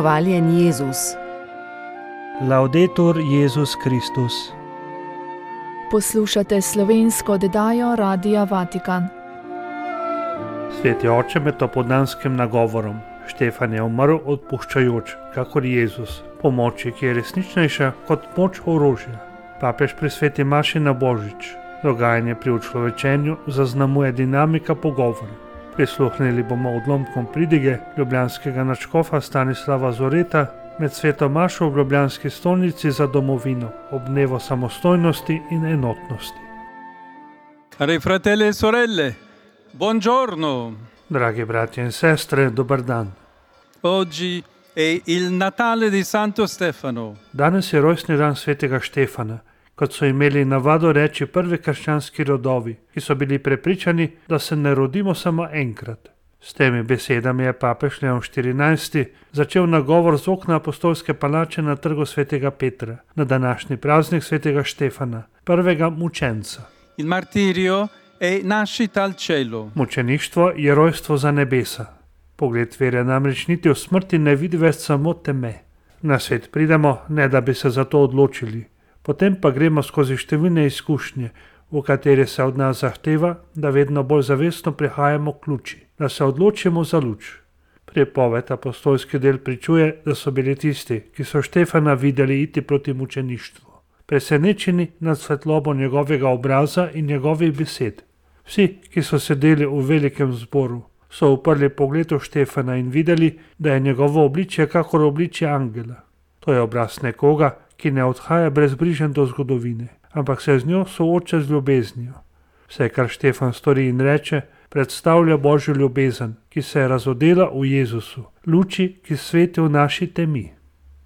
Hvaljen Jezus. Laudetur Jezus Kristus. Poslušate slovensko oddajo Radia Vatikan. Sveti oče med opoldanskim nagovorom. Štefan je umrl odpuščajoč, kakor Jezus, po moči, ki je resničnejša kot moč orožja. Papež pri sveti maši na Božič. Dogajanje pri učlovečenju zaznamuje dinamika pogovora. Prisluhnili bomo odlomkom pridige ljubljanskega nadškofa Stanislava Zoreta med sveto mašo v ljubljanski stolnici za domovino ob dnevu samostojnosti in enotnosti. Cari fratelli e sorelle, buongiorno. Dragi bratje in sestre, dober dan. Oggi è il Natale di Santo Stefano. Danes je rojstni dan svetega Štefana, kot so imeli navado reči prvi krščanski rodovi, ki so bili prepričani, da se ne rodimo samo enkrat. S temi besedami je papež Leon XIV. Začel nagovor z okna apostolske palače na trgu svetega Petra, na današnji praznik svetega Štefana, prvega mučenca. Il martirio è nascita al cielo. Mučeništvo je rojstvo za nebesa. Pogled vere namreč niti v smrti ne vidi več samo teme. Na svet pridemo, ne da bi se za to odločili. Potem pa gremo skozi številne izkušnje, v katere se od nas zahteva, da vedno bolj zavestno prihajamo k luči, da se odločimo za luč. Pripoved apostolski del pričuje, da so bili tisti, ki so Štefana videli iti proti mučeništvu, presenečeni nad svetlobo njegovega obraza in njegovih besed. Vsi, ki so sedeli v velikem zboru, so uprli pogled v Štefana in videli, da je njegovo obličje kakor obličje angela. To je obraz nekoga, ki ne odhaja brezbrižen do zgodovine, ampak se z njo sooča z ljubeznijo. Vse, kar Štefan stori in reče, predstavlja Božjo ljubezen, ki se je razodela v Jezusu, luči, ki sveti v naši temi.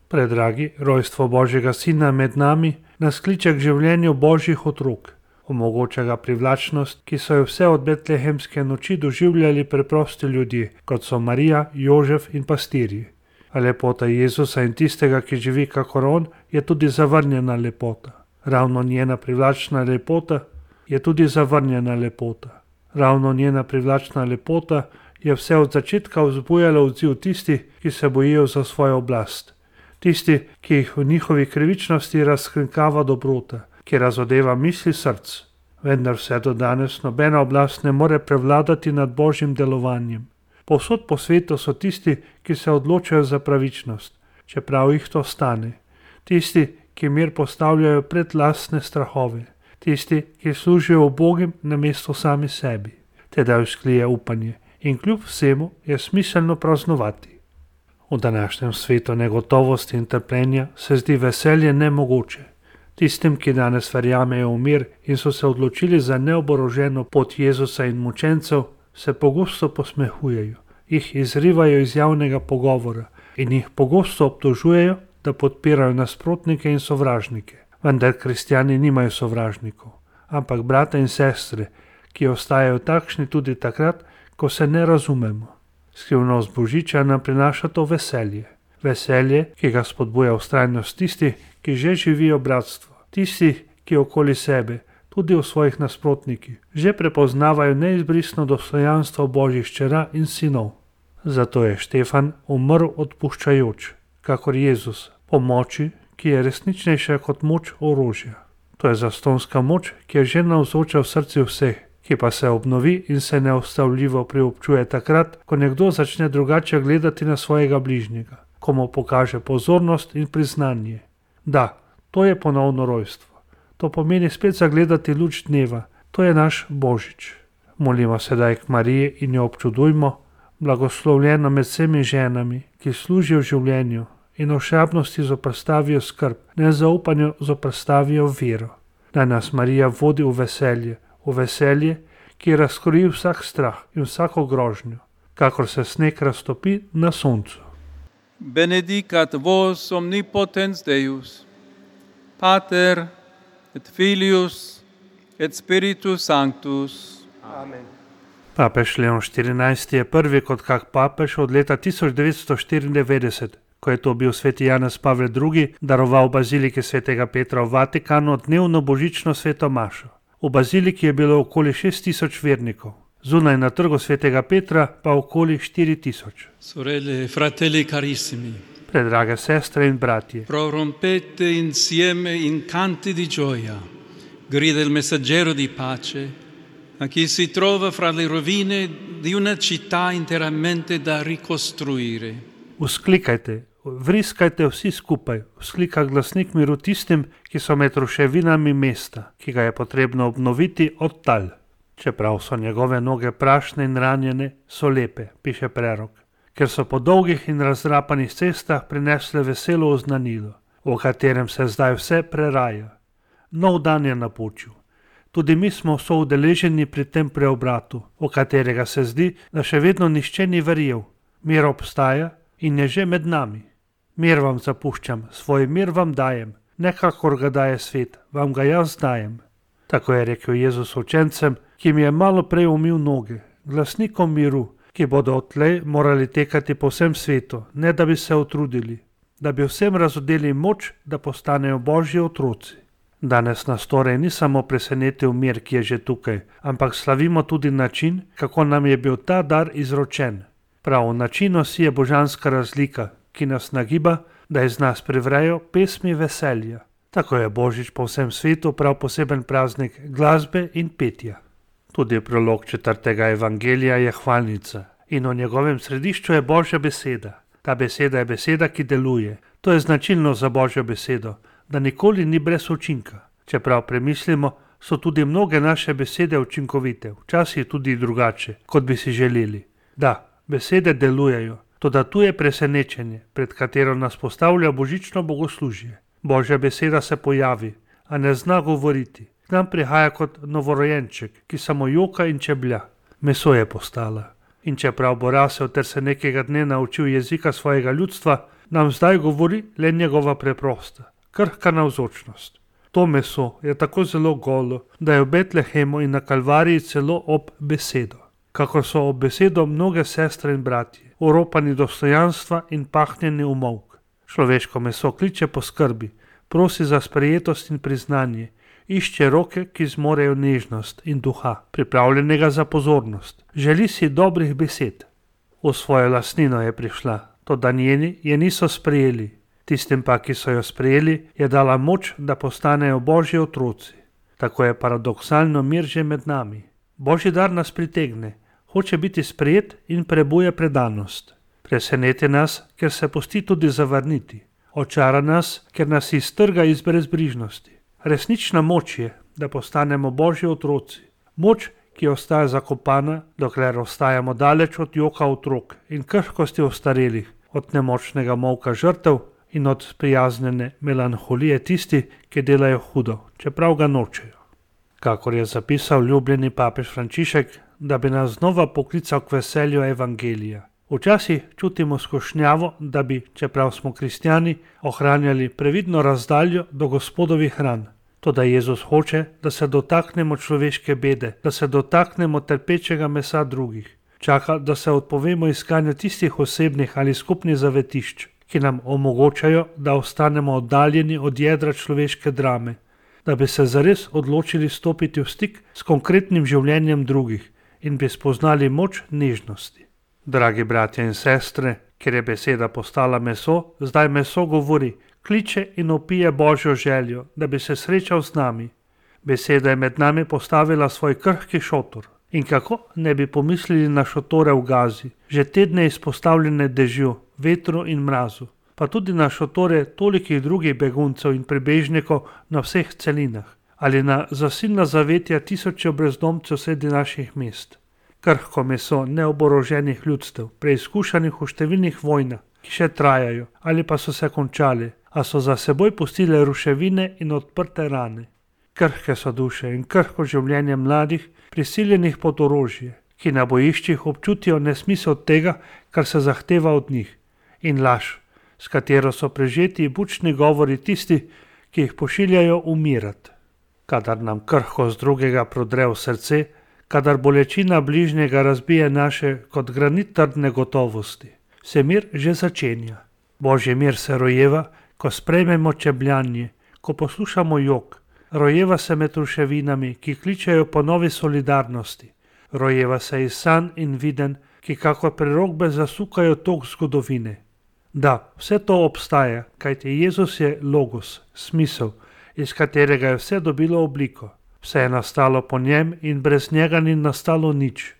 Predragi, rojstvo Božjega Sina med nami nas kliče k življenju Božjih otrok. Omogoča ga privlačnost, ki so jo vse od betlehemske noči doživljali preprosti ljudje, kot so Marija, Jožef in pastirji. A lepota Jezusa in tistega, ki živi kakor on, je tudi zavrnjena lepota. Ravno njena privlačna lepota je tudi zavrnjena lepota. Ravno njena privlačna lepota je vse od začetka vzbujala odziv tistih, ki se bojijo za svojo oblast. Tisti, ki jih v njihovi krivičnosti razkrinkava dobrota, ki razodeva misli src. Vendar vse do danes nobena oblast ne more prevladati nad Božjim delovanjem. Povsod po svetu so tisti, ki se odločajo za pravičnost, čeprav jih to stane. Tisti, ki mir postavljajo pred lastne strahove. Tisti, ki služijo ubogim namesto sami sebi. Tedaj vzklije upanje in kljub vsemu je smiselno praznovati. V današnjem svetu negotovosti in trpljenja se zdi veselje nemogoče. Tistim, ki danes verjamejo v mir in so se odločili za neoboroženo pot Jezusa in mučencev, se pogosto posmehujejo, jih izrivajo iz javnega pogovora in jih pogosto obtožujejo, da podpirajo nasprotnike in sovražnike. Vendar kristjani nimajo sovražnikov, ampak brata in sestre, ki ostajajo takšni tudi takrat, ko se ne razumemo. Skrivnost Božiča nam prinaša to veselje. Veselje, ki ga spodbuja vztrajnost tistih, ki že živijo bratstvo. Tistih, ki okoli sebe, tudi v svojih nasprotnikih, že prepoznavajo neizbrisno dostojanstvo Božjih hčera in sinov. Zato je Štefan umrl odpuščajoč, kakor Jezus, po moči, ki je resničnejša kot moč orožja. To je zastonska moč, ki je že navzoča v srcu vseh, ki pa se obnovi in se neustavljivo priobčuje takrat, ko nekdo začne drugače gledati na svojega bližnjega, ko mu pokaže pozornost in priznanje. Da, to je ponovno rojstvo. To pomeni spet zagledati luč dneva. To je naš Božič. Molimo sedaj k Mariji in jo občudujmo, blagoslovljeno med vsemi ženami, ki služijo življenju in ošabnosti zoprstavijo skrb, nezaupanju zoprstavijo vero. Naj nas Marija vodi v veselje, ki razkroji vsak strah in vsako grožnjo, kakor se sneg raztopi na soncu. Benedicat vos omnipotens Deus, Pater et Filius et Spiritus Sanctus. Amen. Papež Leon XIV. Je prvi kot kak papež od leta 1994, ko je to bil sveti Janez Pavel II. Daroval baziliki svetega Petra v Vatikanu dnevno božično sveto mašo. V baziliki je bilo okoli 6000 vernikov. Zunaj na trgu svetega Petra pa okoli 4000. Sorelle, fratelli carissimi. Predrage sestre in bratje, prorompete insieme in canti di gioia, grida il messaggero di pace a chi si trova fra le rovine di una città interamente da ricostruire. vzklikajte, vriskajte vsi skupaj, vzklika glasnik miru tistim, ki so med ruševinami mesta, ki ga je potrebno obnoviti od tal. Čeprav so njegove noge prašne in ranjene, so lepe, piše prerok, ker so po dolgih in razdrapanih cestah prinesle veselo oznanilo, v katerem se zdaj vse preraja. Nov dan je napočil. Tudi mi smo soudeleženi pri tem preobratu, v katerega se zdi, da še vedno nihče ni verjel. Mir obstaja in je že med nami. Mir vam zapuščam, svoj mir vam dajem, ne kakor ga daje svet, vam ga jaz dajem. Tako je rekel Jezus učencem, ki jim je malo prej umil noge, glasnikom miru, ki bodo odtlej morali tekati po vsem svetu, ne da bi se utrudili, da bi vsem razodeli moč, da postanejo Božji otroci. Danes nas torej ni samo presenetil mir, ki je že tukaj, ampak slavimo tudi način, kako nam je bil ta dar izročen. Prav v načinu si je božanska razlika, ki nas nagiba, da iz nas privrejo pesmi veselja. Tako je Božič po vsem svetu prav poseben praznik glasbe in petja. Tudi prolog 4. evangelija je hvalnica in v njegovem središču je Božja beseda. Ta beseda je beseda, ki deluje. To je značilno za Božjo besedo, da nikoli ni brez učinka. Čeprav premislimo, so tudi mnoge naše besede učinkovite, včasih tudi drugače, kot bi si želeli. Da, besede delujejo, toda tu je presenečenje, pred katero nas postavlja božično bogoslužje. Božja beseda se pojavi, a ne zna govoriti. K nam prihaja kot novorojenček, ki samo joka in čeblja. Meso je postala. In čeprav bo rasel ter se nekega dne naučil jezika svojega ljudstva, nam zdaj govori le njegova preprosta, krhka navzočnost. To meso je tako zelo golo, da je v Betlehemu in na Kalvariji celo ob besedo. Kako so ob besedo mnoge sestre in bratje, oropani dostojanstva in pahnjeni v molk. Človeško meso kliče po skrbi, prosi za sprejetost in priznanje, išče roke, ki zmorejo nežnost in duha, pripravljenega za pozornost. Želi si dobrih besed. V svojo lastnino je prišla, toda njeni je niso sprejeli. Tistim pa, ki so jo sprejeli, je dala moč, da postanejo Božji otroci. Tako je paradoksalno mir že med nami. Božji dar nas pritegne, hoče biti sprejet in prebuja predanost. Preseneti nas, ker se pusti tudi zavrniti. Očara nas, ker nas iztrga iz brezbrižnosti. Resnična moč je, da postanemo Božji otroci. Moč, ki ostaja zakopana, dokler ostajamo daleč od joka otrok in krhkosti ostarelih, od nemočnega molka žrtev in od prijaznjene melanholije tisti, ki delajo hudo, čeprav ga nočejo. Kakor je zapisal ljubljeni papež Frančišek, da bi nas znova poklical k veselju evangelija. Včasih čutimo skušnjavo, da bi, čeprav smo kristjani, ohranjali previdno razdaljo do Gospodovih ran. Toda Jezus hoče, da se dotaknemo človeške bede, da se dotaknemo trpečega mesa drugih. Čaka, da se odpovemo iskanju tistih osebnih ali skupnih zavetišč, ki nam omogočajo, da ostanemo oddaljeni od jedra človeške drame, da bi se zares odločili stopiti v stik s konkretnim življenjem drugih in bi spoznali moč nežnosti. Dragi bratje in sestre, ker je beseda postala meso, zdaj meso govori, kliče in opije Božjo željo, da bi se srečal z nami. Beseda je med nami postavila svoj krhki šotor. In kako ne bi pomislili na šotore v Gazi, že tedne izpostavljene dežju, vetru in mrazu, pa tudi na šotore tolikih drugih beguncev in prebežnikov na vseh celinah, ali na zasilna zavetja tisočev brezdomcev sredi naših mest. Krhko meso neoboroženih ljudstev, preizkušanih v številnih vojnah, ki še trajajo ali pa so se končali, a so za seboj pustile ruševine in odprte rane. Krhke so duše in krhko življenje mladih, prisiljenih pod orožje, ki na bojiščih občutijo nesmisel tega, kar se zahteva od njih, in laž, s katero so prežeti bučni govori tisti, ki jih pošiljajo umirati. Kadar nam krhkost drugega prodre v srce, kadar bolečina bližnjega razbije naše kot granit trdne gotovosti, se mir že začenja. Božji mir se rojeva, ko sprejmemo čebljanje, ko poslušamo jok, rojeva se med ruševinami, ki kličejo po novi solidarnosti, rojeva se iz sanj in viden, ki kakor prerokbe zasukajo tok zgodovine. Da, vse to obstaja, kajti Jezus je logos, smisel, iz katerega je vse dobilo obliko. Vse je nastalo po njem in brez njega ni nastalo nič.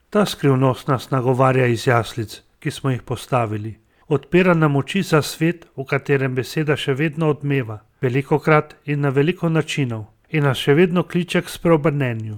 Ta skrivnost nas nagovarja iz jaslic, ki smo jih postavili. Odpira nam oči za svet, v katerem beseda še vedno odmeva, velikokrat in na veliko načinov, in nas še vedno kliče k spreobrnenju.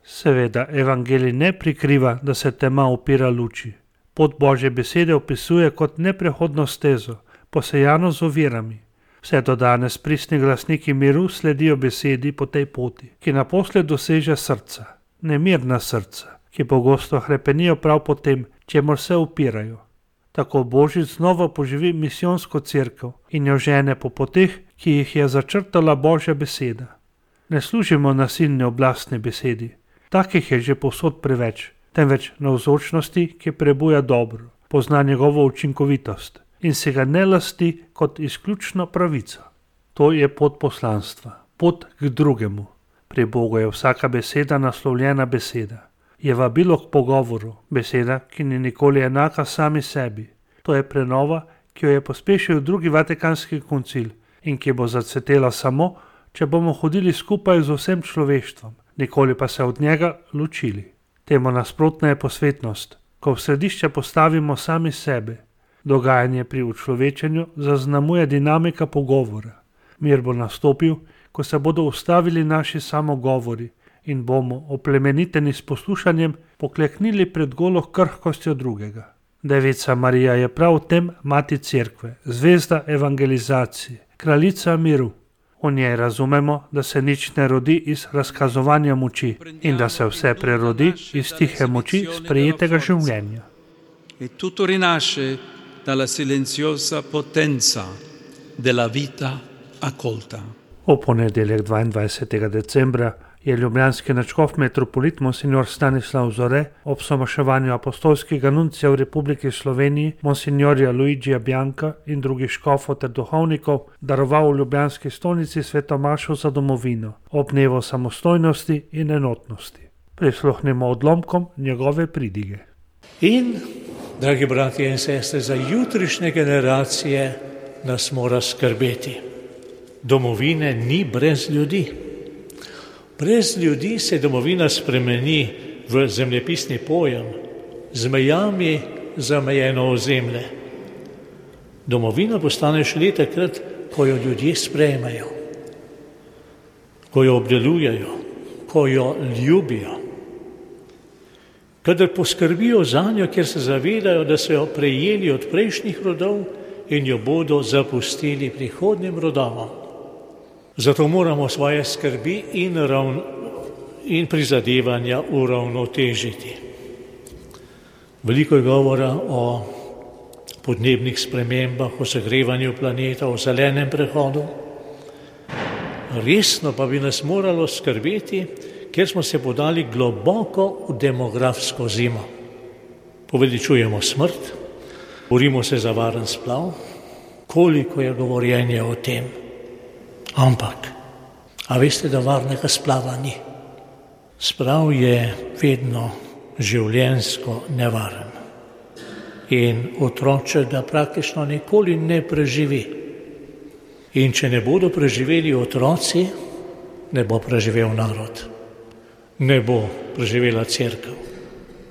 Seveda, evangelij ne prikriva, da se tema upira luči. Pot Božje besede opisuje kot neprehodno stezo, posejano z ovirami. Vse do danes pristni glasniki miru sledijo besedi po tej poti, ki naposled doseže srca, nemirna srca, ki pogosto hrepenijo prav po tem, čemur se upirajo. Tako Božič znova poživi misijonsko cerkev in jo žene po poteh, ki jih je začrtala Božja beseda. Ne služimo nasilni oblastni besedi, takih je že povsod preveč, temveč navzočnosti, ki prebuja dobro, pozna njegovo učinkovitost in se ga ne lasti kot izključno pravico. To je pot poslanstva, pot k drugemu. Pri Bogu je vsaka beseda naslovljena beseda. Je vabilo k pogovoru, beseda, ki ni nikoli enaka sami sebi. To je prenova, ki jo je pospešil drugi vatikanski koncil in ki bo zacvetela samo, če bomo hodili skupaj z vsem človeštvom, nikoli pa se od njega ločili. Temu nasprotna je posvetnost, ko v središče postavimo sami sebe. Dogajanje pri učlovečenju zaznamuje dinamika pogovora. Mir bo nastopil, ko se bodo ustavili naši samogovori in bomo, oplemeniteni s poslušanjem, pokleknili pred golo krhkostjo drugega. Devica Marija je prav v tem mati cerkve, zvezda evangelizacije, kraljica miru. V njej razumemo, da se nič ne rodi iz razkazovanja moči in da se vse prerodi iz tihe moči sprejetega življenja. E tutto rinasce dalla silenziosa potenza della vita accolta. V ponedeljek 22. decembra je ljubljanski nadškof metropolit monsignor Stanislav Zore ob somaševanju apostolskega nuncija v Republiki Sloveniji monsignorja Luigija Bianca in drugih škofov ter duhovnikov daroval v ljubljanski stolnici svetomašo za domovino ob dnevu samostojnosti in enotnosti. Prisluhnimo odlomkom njegove pridige. In, dragi bratje in sestre, za jutrišnje generacije nas mora skrbeti. Domovine ni brez ljudi. Brez ljudi se domovina spremeni v zemljepisni pojem, z mejami zamejeno ozemlje. Domovina postane šele takrat, ko jo ljudje sprejmejo, ko jo obdelujejo, ko jo ljubijo. Kadar poskrbijo zanjo, ker se zavedajo, da so jo prejeli od prejšnjih rodov in jo bodo zapustili prihodnjim rodovom. Zato moramo svoje skrbi in prizadevanja uravnotežiti. Veliko je govora o podnebnih spremembah, o segrevanju planeta, o zelenem prehodu. Resno pa bi nas moralo skrbeti, ker smo se podali globoko v demografsko zimo. Poveličujemo smrt, borimo se za varen splav, koliko je govorjenja o tem. Ampak, a veste, da varnega splava ni? Splav je vedno življenjsko nevaren. In otroče ga praktično nikoli ne preživi. In če ne bodo preživeli otroci, ne bo preživel narod. Ne bo preživela cerkev.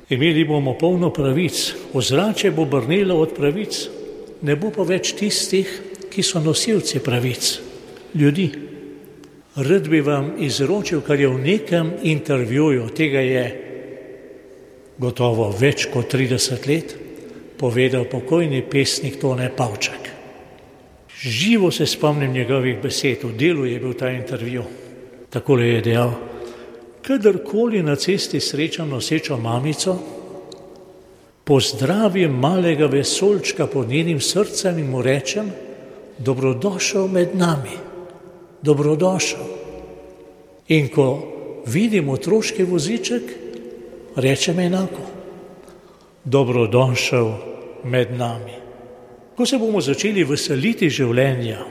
Imeli bomo polno pravic, ozračje bo brnelo od pravic, ne bo pa več tistih, ki so nosilci pravic. Ljudi. Rad bi vam izročil, kar je v nekem intervjuju, tega je gotovo več kot 30 let, povedal pokojni pesnik Tone Pavčak. Živo se spomnim njegovih besed, v Delu je bil ta intervju. Takole je dejal: kadarkoli na cesti srečam nosečo mamico, pozdravim malega vesoljčka pod njenim srcem in mu rečem: dobrodošel med nami. Dobrodošel. In ko vidim otroški voziček, rečem enako: dobrodošel med nami. Ko se bomo začeli veseliti življenja,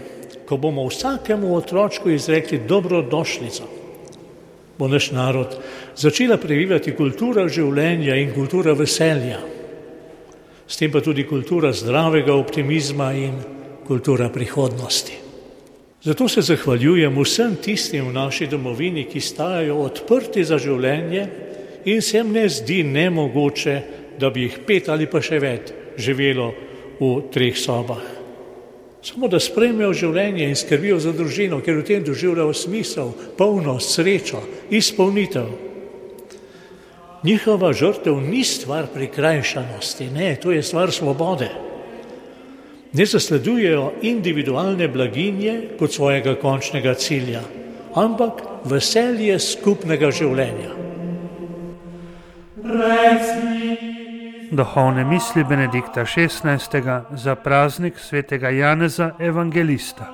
ko bomo vsakemu otročku izrekli dobrodošlico, bo naš narod začela previvati kultura življenja in kultura veselja. s tem pa tudi kultura zdravega optimizma in kultura prihodnosti. Zato se zahvaljujem vsem tistim v naši domovini, ki stajajo odprti za življenje in se jim ne zdi nemogoče, da bi jih 5 ali pa še več živelo v 3 sobah. Samo da sprejmejo življenje in skrbijo za družino, ker v tem doživljajo smisel, polnost, srečo, izpolnitev. Njihova žrtev ni stvar prikrajšanosti, ne, to je stvar svobode. Ne zasledujejo individualne blaginje kot svojega končnega cilja, ampak veselje skupnega življenja. Duhovne misli Benedikta XVI. Za praznik svetega Janeza Evangelista.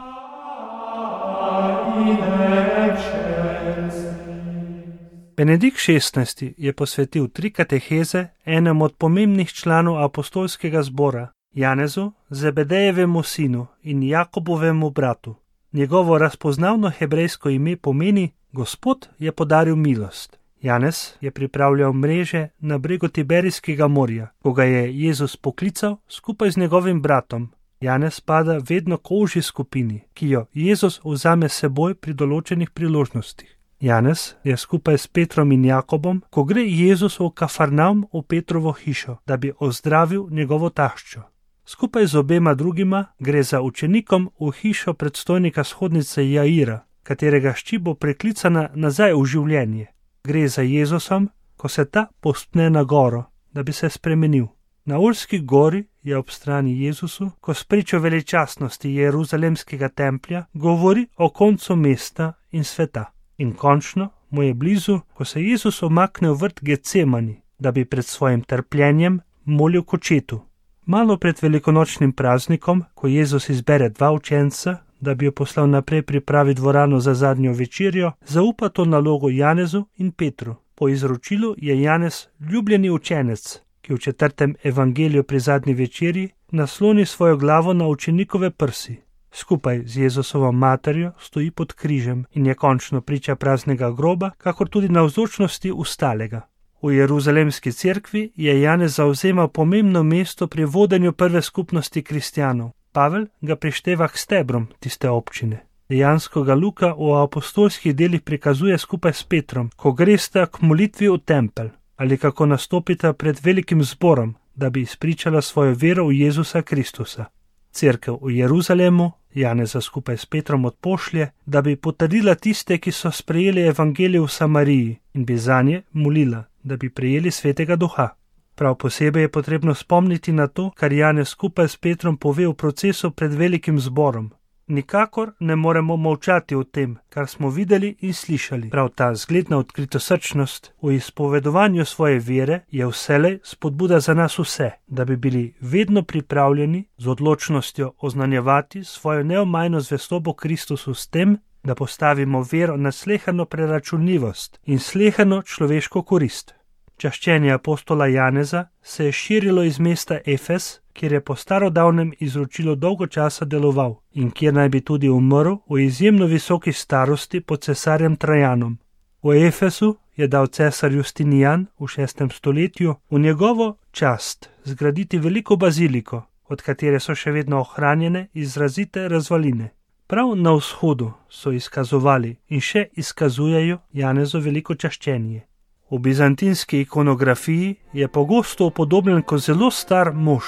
Benedikt XVI. Je posvetil 3 kateheze enemu od pomembnih članov apostolskega zbora, Janezu, Zebedejevemu sinu in Jakobovemu bratu. Njegovo razpoznavno hebrejsko ime pomeni Gospod je podaril milost. Janez je pripravljal mreže na bregu Tiberijskega morja, ko ga je Jezus poklical skupaj z njegovim bratom. Janez spada vedno k ožji skupini, ki jo Jezus vzame seboj pri določenih priložnostih. Janez je skupaj s Petrom in Jakobom, ko gre Jezus v Kafarnaum v Petrovo hišo, da bi ozdravil njegovo taščo. Skupaj z obema drugima gre za učenikom v hišo predstojnika shodnice Jaira, katerega hči bo preklicana nazaj v življenje. Gre za Jezusom, ko se ta povzpne na goro, da bi se spremenil. Na Olski gori je ob strani Jezusu, ko spričo veličastnosti Jeruzalemskega templja govori o koncu mesta in sveta. In končno mu je blizu, ko se Jezus omakne v vrt Getsemani, da bi pred svojim trpljenjem molil k očetu. Malo pred velikonočnim praznikom, ko Jezus izbere 2 učenca, da bi jo poslal naprej pripraviti dvorano za zadnjo večerjo, zaupa to nalogo Janezu in Petru. Po izročilu je Janez ljubljeni učenec, ki v 4. evangeliju pri zadnji večerji nasloni svojo glavo na učenikove prsi. Skupaj z Jezusovo materjo stoji pod križem in je končno priča praznega groba, kakor tudi navzočnosti ustalega. V Jeruzalemski cerkvi je Janez zavzemal pomembno mesto pri vodenju prve skupnosti kristjanov. Pavel ga prišteva k stebrom tiste občine. Dejansko ga Luka v apostolskih delih prikazuje skupaj s Petrom, ko gresta k molitvi v tempelj ali kako nastopita pred velikim zborom, da bi izpričala svojo vero v Jezusa Kristusa. Cerkev v Jeruzalemu Janeza skupaj s Petrom odpošlje, da bi potrdila tiste, ki so sprejeli evangelij v Samariji in bi zanje molila, da bi prejeli svetega duha. Prav posebej je potrebno spomniti na to, kar Janez skupaj s Petrom pove v procesu pred velikim zborom. Nikakor ne moremo molčati o tem, kar smo videli in slišali. Prav ta zgledna odkritosrčnost v izpovedovanju svoje vere je vselej spodbuda za nas vse, da bi bili vedno pripravljeni z odločnostjo oznanjevati svojo neomajno zvestobo Kristusu s tem, da postavimo vero na sleherno preračunljivost in sleherno človeško korist. Čaščenje apostola Janeza se je širilo iz mesta Efes, kjer je po starodavnem izročilu dolgo časa deloval in kjer naj bi tudi umrl v izjemno visoki starosti pod cesarjem Trajanom. V Efesu je dal cesar Justinijan v 6. stoletju v njegovo čast zgraditi veliko baziliko, od katere so še vedno ohranjene izrazite razvaline. Prav na vzhodu so izkazovali in še izkazujejo Janezu veliko čaščenje. V bizantinski ikonografiji je pogosto upodobljen kot zelo star mož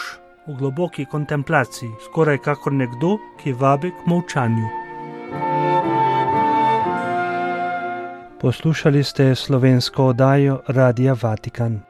v globoki kontemplaciji, skoraj kakor nekdo, ki vabi k molčanju. Poslušali ste slovensko oddajo Radia Vatikan.